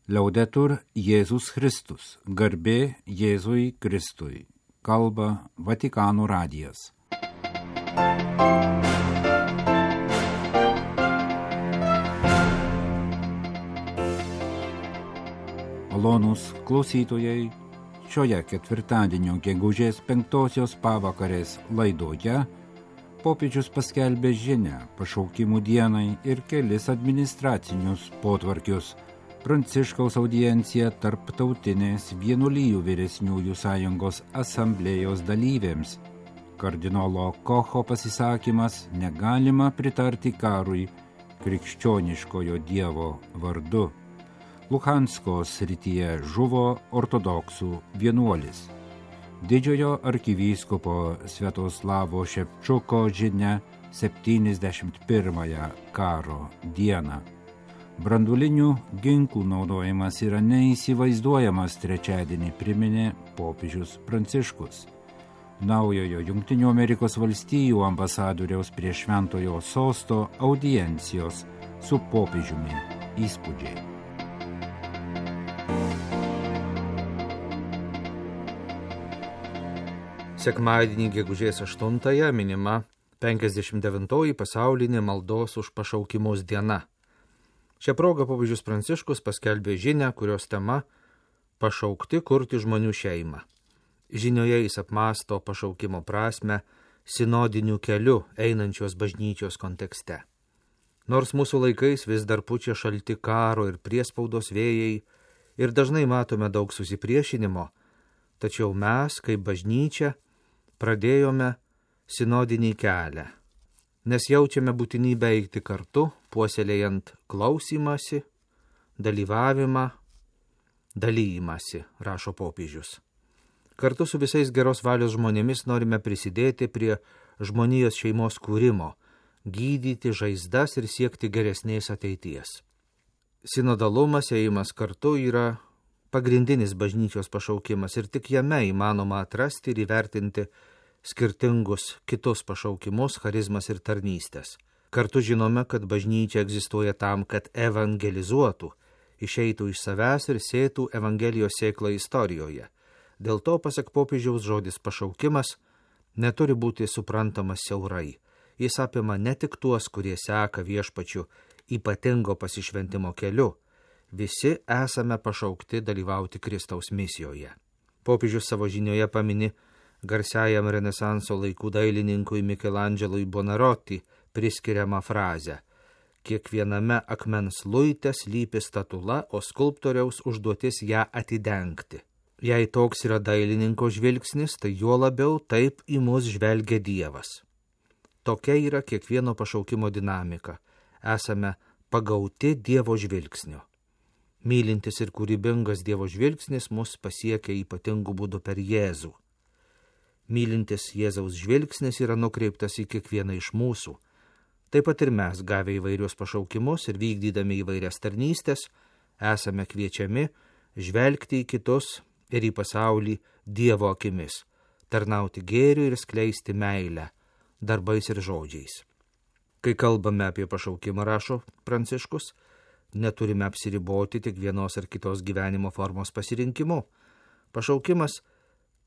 Liaudetur Jėzus Kristus, garbė Jėzui Kristui, kalba Vatikano radijas. Malonūs klausytojai, šioje ketvirtadienio gegužės 5 pavakarės laidoje popiežius paskelbė žinią pašaukimų dienai ir kelis administracinius potvarkius. Pranciškaus audiencija tarptautinės vienuolijų vyresniųjų sąjungos asamblėjos dalyvėms. Kardinolo Kocho pasisakymas negalima pritarti karui krikščioniškojo Dievo vardu. Luhansko srityje žuvo ortodoksų vienuolis. Didžiojo arkivyskupo Sviatoslavo Ševčuko žinia 71 karo dieną. Branduolinių ginklų naudojimas yra neįsivaizduojamas trečiadienį, priminė popiežius Pranciškus. Naujojo Jungtinių Amerikos valstijų ambasadoriaus prie Šventojo sosto audiencijos su popiežiumi įspūdžiai. Sekmadienį gegužės 8 minima 59 pasaulinė maldos už pašaukimus diena. Šią progą popiežius Pranciškus paskelbė žinią, kurios tema – pašaukti kurti žmonių šeimą. Žinioje jis apmąsto pašaukimo prasmę sinodiniu keliu einančios bažnyčios kontekste. Nors mūsų laikais vis dar pučia šalti karo ir priespaudos vėjai ir dažnai matome daug susipriešinimo, tačiau mes, kaip bažnyčia, pradėjome sinodinį kelią, nes jaučiame būtinybę eiti kartu, puoselėjant klausymąsi, dalyvavimą, dalyjimąsi, rašo popiežius. Kartu su visais geros valios žmonėmis norime prisidėti prie žmonijos šeimos kūrimo, gydyti žaizdas ir siekti geresnės ateities. Sinodalumas, ėjimas kartu yra pagrindinis bažnyčios pašaukimas ir tik jame įmanoma atrasti ir įvertinti skirtingus kitus pašaukimus, charizmas ir tarnystės. Kartu žinome, kad bažnyčia egzistuoja tam, kad evangelizuotų, išeitų iš savęs ir sėtų evangelijos sėklą istorijoje. Dėl to, pasak popiežiaus, žodis pašaukimas neturi būti suprantamas siaurai. Jis apima ne tik tuos, kurie seka viešpačiu ypatingo pasišventimo keliu. Visi esame pašaukti dalyvauti Kristaus misijoje. Popiežius savo žinioje pamini garsiajam Renesanso laikų dailininkui Mikelandželui Bonaroti priskiriamą frazę: kiekviename akmens luite slypi statula, o skulptoriaus užduotis ją atidengti. Jei toks yra dailininko žvilgsnis, tai juo labiau taip į mus žvelgia Dievas. Tokia yra kiekvieno pašaukimo dinamika. Esame pagauti Dievo žvilgsnio. Mylintis ir kūrybingas Dievo žvilgsnis mus pasiekia ypatingų būdų per Jėzų. Mylintis Jėzaus žvilgsnis yra nukreiptas į kiekvieną iš mūsų. Taip pat ir mes, gavę įvairius pašaukimus ir vykdydami įvairias tarnystės, esame kviečiami žvelgti į kitus ir į pasaulį Dievo akimis, tarnauti gėriu ir skleisti meilę, darbais ir žodžiais. Kai kalbame apie pašaukimą, rašo Pranciškus, neturime apsiriboti tik vienos ar kitos gyvenimo formos pasirinkimu. Pašaukimas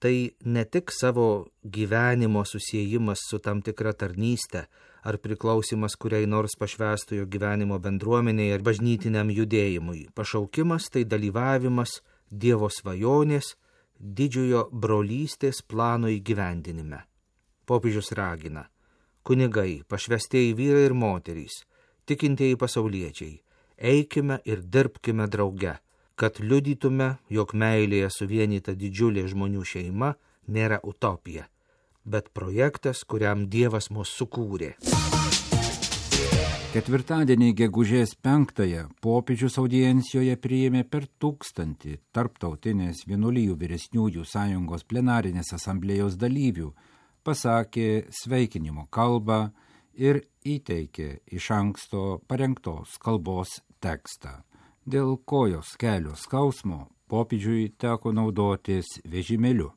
tai ne tik savo gyvenimo susiejimas su tam tikra tarnyste ar priklausimas kuriai nors pašvęstojo gyvenimo bendruomeniai ar bažnytiniam judėjimui. Pašaukimas tai dalyvavimas Dievo svajonės, didžiojo brolystės plano įgyvendinime. Popiežius ragina: kunigai, pašvęstieji vyrai ir moterys, tikintieji pasauliečiai, eikime ir dirbkime drauge, kad liudytume, jog meilėje suvienyta didžiulė žmonių šeima nėra utopija, bet projektas, kuriam Dievas mus sukūrė. Ketvirtadienį gegužės 5 popiežius audiencijoje priėmė per 1000 tarptautinės vienuolijų vyresniųjų sąjungos plenarinės asamblėjos dalyvių, pasakė sveikinimo kalbą ir įteikė iš anksto parengtos kalbos tekstą. Dėl kojos kelio skausmo popiežiui teko naudotis vežimėliu.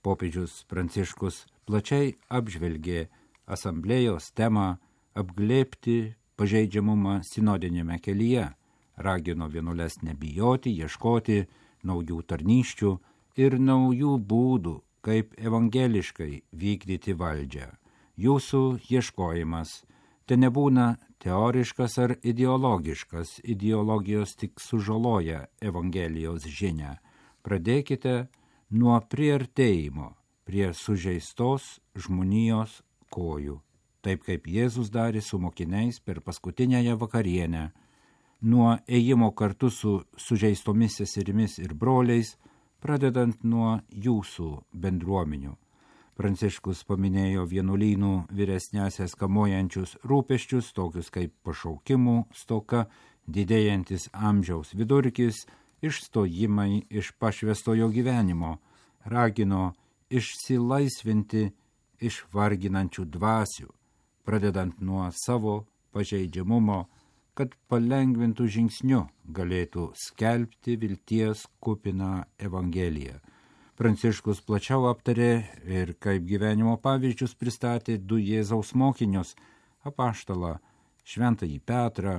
Popiežius Pranciškus plačiai apžvelgė asamblėjos temą apglėbti pažeidžiamumą sinodinėme kelyje, ragino vienuoles nebijoti, ieškoti naujų tarnyščių ir naujų būdų, kaip evangeliškai vykdyti valdžią. Jūsų ieškojimas te nebūna teoriškas ar ideologiškas, ideologijos tik sužaloja Evangelijos žinią. Pradėkite nuo priartėjimo prie sužeistos žmonijos kojų, taip kaip Jėzus darė su mokiniais per paskutinėją vakarienę, nuo ėjimo kartu su sužeistomis seserimis ir broliais, pradedant nuo jūsų bendruomenių. Pranciškus paminėjo vienuolynų vyresniąsias kamuojančius rūpesčius, tokius kaip pašaukimų stoka, didėjantis amžiaus vidurkis, išstojimai iš pašvęstojo gyvenimo, ragino išsilaisvinti iš varginančių dvasių, pradedant nuo savo pažeidžiamumo, kad palengvintų žingsniu galėtų skelbti vilties kupiną Evangeliją. Pranciškus plačiau aptarė ir kaip gyvenimo pavyzdžius pristatė du Jėzaus mokinius – apaštalą Šventąjį Petrą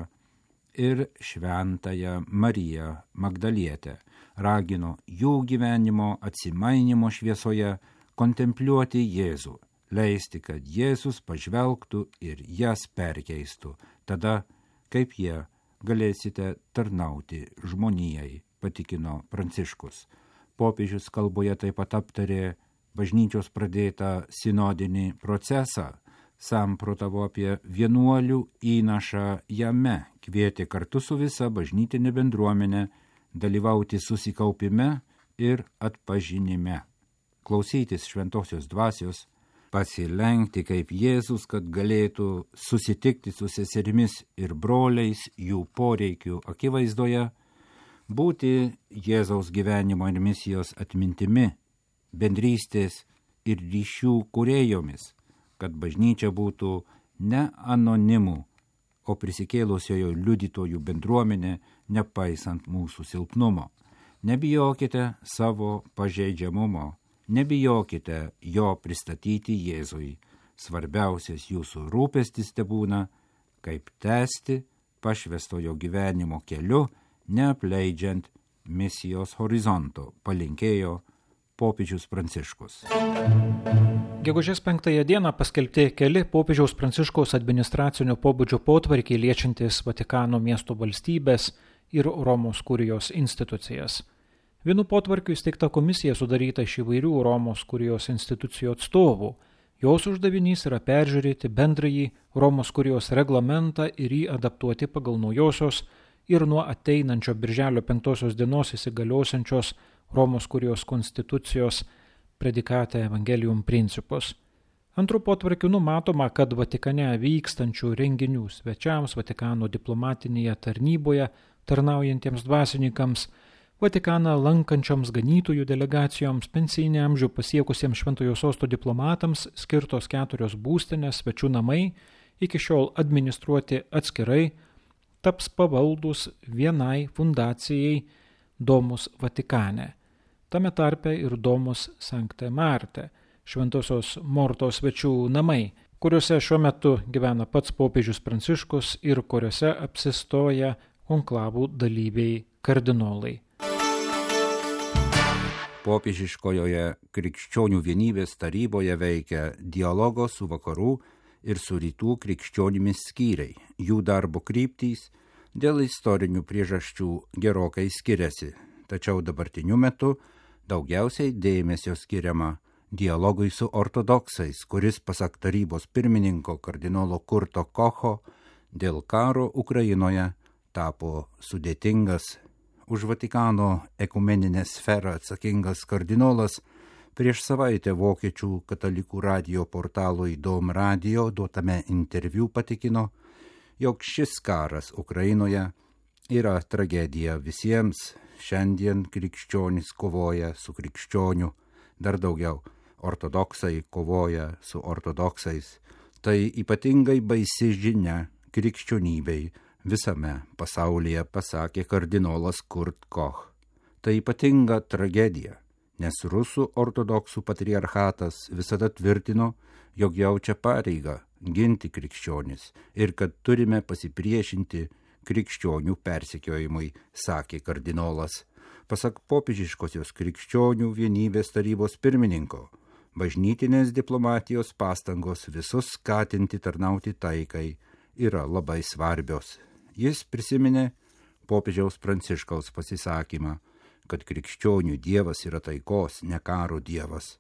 ir Šventąją Mariją Magdalietę. Ragino jų gyvenimo atsimainimo šviesoje kontempliuoti Jėzų, leisti, kad Jėzus pažvelgtų ir jas perkeistų. Tada, kaip jie, galėsite tarnauti žmonijai, patikino Pranciškus. Popiežius kalboje taip pat aptarė bažnyčios pradėtą sinodinį procesą, samprotavo apie vienuolių įnašą jame, kvietė kartu su visa bažnytinė bendruomenė dalyvauti susikaupime ir atpažinime, klausytis šventosios dvasios, pasilenkti kaip Jėzus, kad galėtų susitikti su seserimis ir broliais jų poreikių akivaizdoje, būti Jėzaus gyvenimo ir misijos atmintimi, bendrystės ir ryšių kūrėjomis, kad bažnyčia būtų ne anonimų, o prisikėlusiojo liudytojų bendruomenė, nepaisant mūsų silpnumo. Nebijokite savo pažeidžiamumo, nebijokite jo pristatyti Jėzui. Svarbiausias jūsų rūpestis tebūna, kaip tęsti pašvęstojo gyvenimo keliu, neapleidžiant misijos horizonto, palinkėjo popiežius Pranciškus. Gegužės 5 dieną paskelbti keli popiežiaus Pranciškaus administracinio pobūdžio potvarkiai liečiantis Vatikano miesto valstybės ir Romos kurijos institucijas. Vienu potvarkiu įsteigta komisija sudaryta iš įvairių Romos kurijos institucijų atstovų. Jos uždavinys yra peržiūrėti bendrąjį Romos kurijos reglamentą ir jį adaptuoti pagal naujosios ir nuo ateinančio birželio 5 dienos įsigaliosiančios Romos kurijos konstitucijos predikate Evangelium principus. Antru potvarkiu numatoma, kad Vatikane vykstančių renginių svečiams, Vatikano diplomatinėje tarnyboje tarnaujantiems dvasininkams, Vatikaną lankančioms ganytojų delegacijoms, pensijinį amžių pasiekusiems Šventojo sosto diplomatams skirtos 4 būstinės svečių namai, iki šiol administruoti atskirai, taps pavaldus vienai fundacijai Domus Vatikane, tame tarpe ir Domus Sanctae Martae, Šventosios Mortos svečių namai, kuriuose šiuo metu gyvena pats popiežius Pranciškus ir kuriuose apsistoja konklavų dalyviai kardinolai. Popiežiškojoje krikščionių vienybės taryboje veikia dialogo su vakarų ir su rytų krikščionimis skyriai. Jų darbo kryptys dėl istorinių priežasčių gerokai skiriasi, tačiau dabartiniu metu daugiausiai dėmesio skiriama dialogui su ortodoksais, kuris pasak tarybos pirmininko kardinolo Kurto Kocho dėl karo Ukrainoje tapo sudėtingas. Už Vatikano ekumeninę sferą atsakingas kardinolas prieš savaitę vokiečių katalikų radijo portalui Dom Radio duotame interviu patikino, jog šis karas Ukrainoje yra tragedija visiems. Šiandien krikščionys kovoja su krikščioniu, dar daugiau ortodoksai kovoja su ortodoksais. Tai ypatingai baisi žinia krikščionybei visame pasaulyje, pasakė kardinolas Kurt Koch. Tai ypatinga tragedija, nes rusų ortodoksų patriarchatas visada tvirtino, jog jaučia pareigą ginti krikščionis ir kad turime pasipriešinti krikščionių persekiojimui, sakė kardinolas. Pasak popiežiškosios krikščionių vienybės tarybos pirmininko, bažnytinės diplomatijos pastangos visus skatinti tarnauti taikai yra labai svarbios. Jis prisiminė popiežiaus Pranciškaus pasisakymą, kad krikščionių dievas yra taikos, ne karo dievas.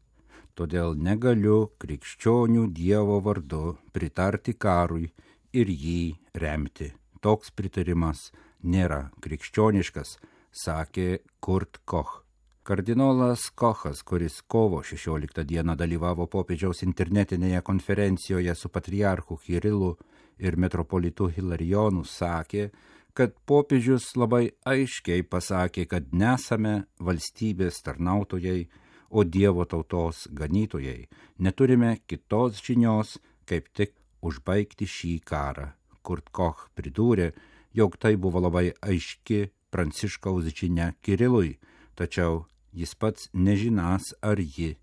Todėl negaliu krikščionių dievo vardu pritarti karui ir jį remti. Toks pritarimas nėra krikščioniškas, sakė Kurt Koch. Kardinolas Kochas, kuris kovo 16 dieną dalyvavo popiežiaus internetinėje konferencijoje su patriarchu Kirilu ir metropolitu Hilarionu, sakė, kad popiežius labai aiškiai pasakė, kad nesame valstybės tarnautojai, o Dievo tautos ganytojai. Neturime kitos žinios, kaip tik užbaigti šį karą. Kurt Koch pridūrė, jog tai buvo labai aiški Pranciškaus žinia Kirilui, tačiau jis pats nežinas, ar ji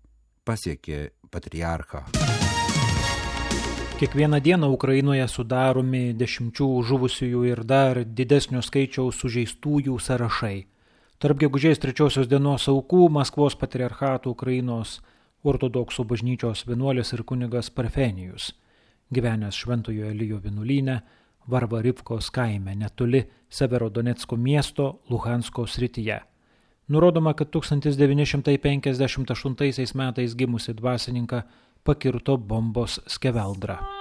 pasiekė patriarchą. Kiekvieną dieną Ukrainoje sudaromi 10 žuvusiųjų ir dar didesnio skaičiaus sužeistųjų sąrašai. Tarp gegužės 3 dienos aukų Maskvos patriarchato Ukrainos ortodoksų bažnyčios vienuolis ir kunigas Parfenijus, gyvenęs Šventojo Elijo vienuolyne Varvarivkos kaime netoli Severodonecko miesto Luhansko srityje. Nurodoma, kad 1958 metais gimusi dvasininką pakirto bombos skeveldra.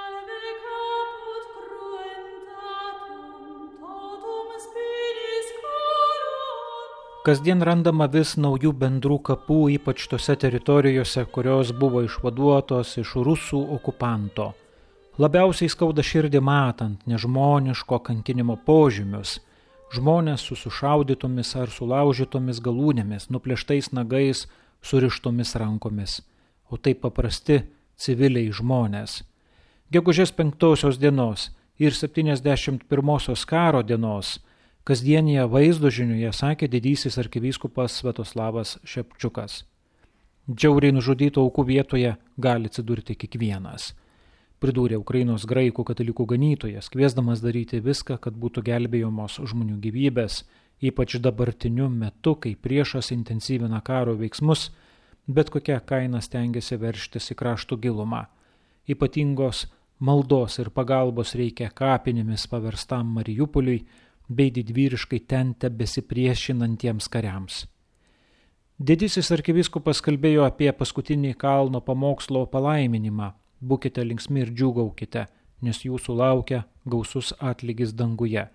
Kasdien randama vis naujų bendrų kapų, ypač tose teritorijose, kurios buvo išvaduotos iš rusų okupanto. Labiausiai skauda širdį matant nežmoniško kankinimo požymius. Žmonės su sušaudytomis ar sulaužytomis galūnėmis, nuplėštais nagais, surištomis rankomis. O tai paprasti civiliai žmonės. Gegužės 5 dienos ir 71 karo dienos kasdienėje vaizdo žinioje sakė didysis arkivyskupas Sviatoslavas Šepčiukas. Džiauriai nužudytų aukų vietoje gali atsidurti kiekvienas, pridūrė Ukrainos graikų katalikų ganytojas, kviesdamas daryti viską, kad būtų gelbėjamos žmonių gyvybės, ypač dabartiniu metu, kai priešas intensyvina karo veiksmus, bet kokia kaina stengiasi verštis į kraštų gilumą. Ypatingos maldos ir pagalbos reikia kapinėmis paverstam Mariupoliui bei didvyriškai ten tebesipriešinantiems kariams. Didysis arkivyskupas kalbėjo apie paskutinį kalno pamokslo palaiminimą. Būkite linksmi ir džiūgaukite, nes jūsų laukia gausus atlygis danguje.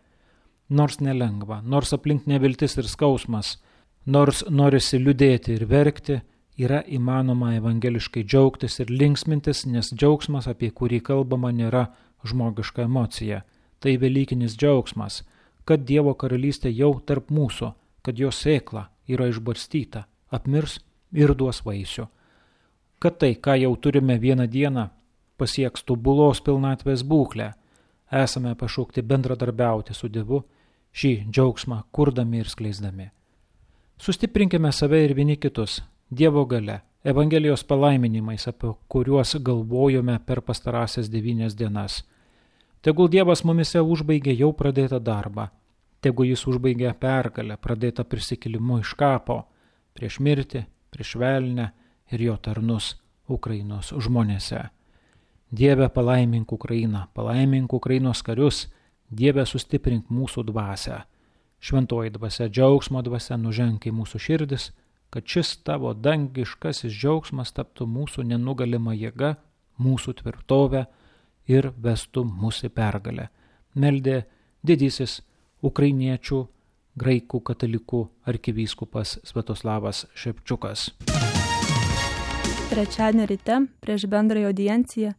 Nors nelengva, nors aplink neviltis ir skausmas, nors norisi liūdėti ir verkti, yra įmanoma evangeliškai džiaugtis ir linksmintis, nes džiaugsmas, apie kurį kalbama, nėra žmogiška emocija. Tai velykinis džiaugsmas, kad Dievo karalystė jau tarp mūsų, kad jos sėkla yra išbarstyta, apmirs ir duos vaisių. Kad tai, ką jau turime vieną dieną, pasieks tobulos pilnatvės būklę, esame pašaukti bendradarbiauti su Dievu, šį džiaugsmą kurdami ir skleisdami. Sustiprinkime save ir vieni kitus, Dievo galia, Evangelijos palaiminimais, apie kuriuos galvojome per pastarąsias 9 dienas. Tegul Dievas mumise užbaigė jau pradėtą darbą, tegul jis užbaigė pergalę, pradėtą prisikėlimu iš kapo, prieš mirtį, prieš velnę ir jo tarnus Ukrainos žmonėse. Dieve, palaimink Ukrainą, palaimink Ukrainos karius, Dieve, sustiprink mūsų dvasią. Šventoji dvasia, džiaugsmo dvasia nuženk į mūsų širdis, kad šis tavo dangiškasis džiaugsmas taptų mūsų nenugalima jėga, mūsų tvirtovė ir vestų mūsų pergalę. Meldė didysis ukrainiečių graikų katalikų arkivyskupas Sviatoslavas Šepčiukas. Trečiadienį ryte prieš bendrąją audienciją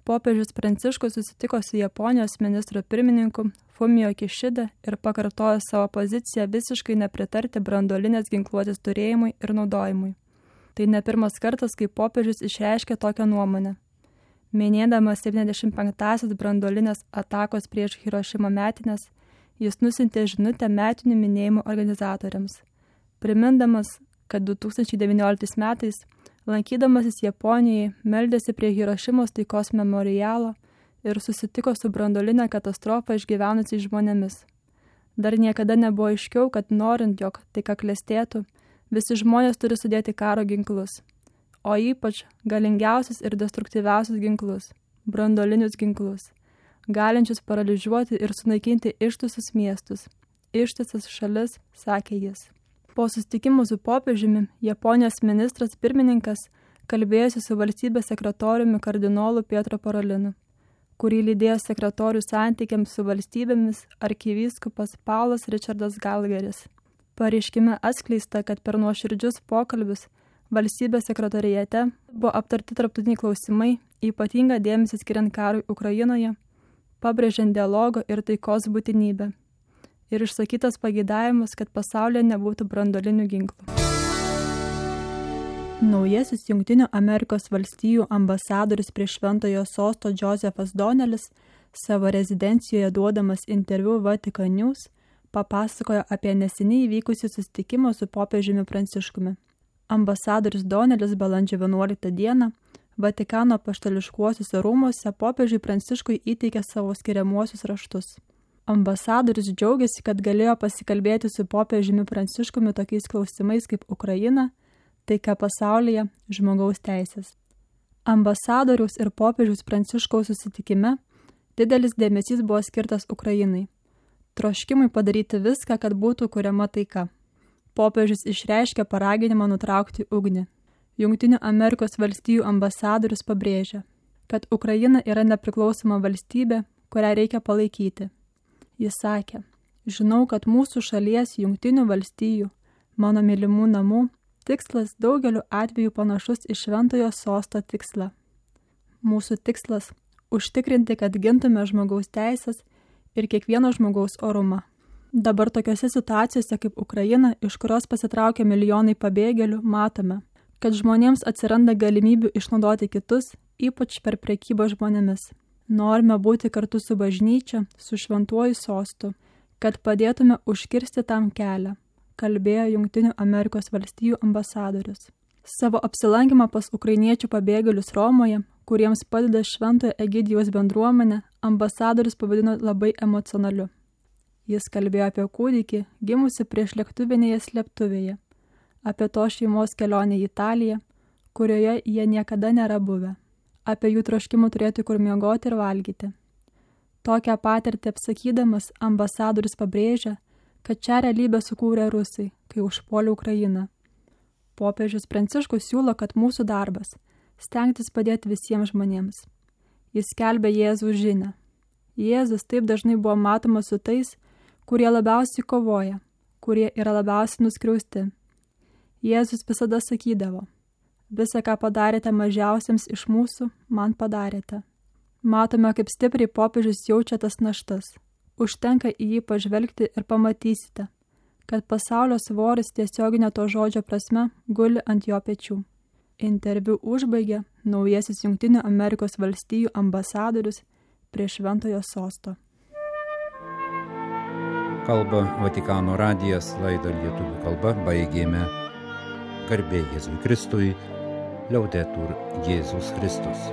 popiežius Pranciškus susitiko su Japonijos ministro pirmininku Fumio Kishida ir pakartojo savo poziciją visiškai nepritarti branduolinės ginkluotės turėjimui ir naudojimui. Tai ne pirmas kartas, kai popiežius išreiškė tokią nuomonę. Minėdamas 75-asias branduolinės atakos prieš Hirošimą metines, jis nusintė žinutę metinių minėjimų organizatoriams, primindamas, kad 2019 metais, lankydamasis Japonijoje, meldėsi prie Hirošimos taikos memorialo ir susitiko su branduolinę katastrofą išgyvenusiais žmonėmis. Dar niekada nebuvo aiškiau, kad norint, jog taika klestėtų, visi žmonės turi sudėti karo ginklus, o ypač galingiausius ir destruktyviausius ginklus – branduolinius ginklus, galinčius paralyžiuoti ir sunaikinti ištisus miestus, ištisas šalis, sakė jis. Po susitikimų su popiežiumi, Japonijos ministras pirmininkas kalbėjosi su valstybės sekretoriumi kardinolu Pietro Parolinu, kurį lydėjo sekretorių santykiams su valstybėmis arkivyskupas Paulas Richardas Galgeris. Pareiškime atskleista, kad per nuoširdžius pokalbius valstybės sekretorijate buvo aptarti tarptautiniai klausimai, ypatingą dėmesį skiriant karui Ukrainoje, pabrėžiant dialogo ir taikos būtinybę. Ir išsakytas pageidavimas, kad pasaulyje nebūtų branduolinių ginklų. Naujasis Jungtinių Amerikos valstijų ambasadorius prie Šventojo sosto Josefas Donelis savo rezidencijoje duodamas interviu Vatican News papasakojo apie neseniai įvykusį susitikimą su popiežiumi Pranciškumi. Ambasadorius Donelis balandžio 11 dieną Vatikano apaštališkuosiuose rūmuose popiežiui Pranciškui įteikė savo skiriamuosius raštus. Ambasadorius džiaugiasi, kad galėjo pasikalbėti su popiežiumi Pranciškumi tokiais klausimais kaip Ukraina, taika pasaulyje, žmogaus teisės. Ambasadoriaus ir popiežiaus Pranciškaus susitikime didelis dėmesys buvo skirtas Ukrainai. Troškimui padaryti viską, kad būtų kuriama taika. Popiežius išreiškė paraginimą nutraukti ugnį. Jungtinių Amerikos valstijų ambasadorius pabrėžia, kad Ukraina yra nepriklausoma valstybė, kurią reikia palaikyti. Jis sakė, žinau, kad mūsų šalies Jungtinių valstijų, mano mylimų namų, tikslas daugeliu atveju panašus į Šventojo sosto tikslą. Mūsų tikslas – užtikrinti, kad gintume žmogaus teisės ir kiekvieno žmogaus orumą. Dabar tokiose situacijose kaip Ukraina, iš kurios pasitraukia milijonai pabėgėlių, matome, kad žmonėms atsiranda galimybių išnaudoti kitus, ypač per prekybą žmonėmis. Norime būti kartu su bažnyčia, su Šventuoju sostu, kad padėtume užkirsti tam kelią, kalbėjo Jungtinių Amerikos valstijų ambasadorius. Savo apsilankymą pas ukrainiečių pabėgėlius Romoje, kuriems padeda Šventojo Egidijaus bendruomenė, ambasadorius pavadino labai emocionaliu. Jis kalbėjo apie kūdikį, gimusi prieš lėktuvinėje slėptuvėje, apie to šeimos kelionę į Italiją, kurioje jie niekada nėra buvę, apie jų troškimų turėti kur miegoti ir valgyti. Tokią patirtį apsakydamas ambasadorius pabrėžia, kad šią realybę sukūrė rusai, kai užpuolė Ukrainą. Popiežius Pranciškus siūlo, kad mūsų darbas – stengtis padėti visiems žmonėms. Jis skelbia Jėzaus žinią. Jėzus taip dažnai buvo matomas su tais, kurie labiausiai kovoja, kurie yra labiausiai nuskriausti. Jėzus visada sakydavo, visą, ką padarėte mažiausiams iš mūsų, man padarėte. Matome, kaip stipriai popiežius jaučia tas naštas. Užtenka į jį pažvelgti ir pamatysite, kad pasaulio svoris tiesioginė to žodžio prasme guli ant jo pečių. Interviu užbaigė naujasis Jungtinių Amerikos valstijų ambasadorius prie Šventojo sosto. Kalba Vatikano radijas, laidą lietuvių kalba baigėme. Garbė Jėzui Kristui, Liaudetur Jėzus Kristus.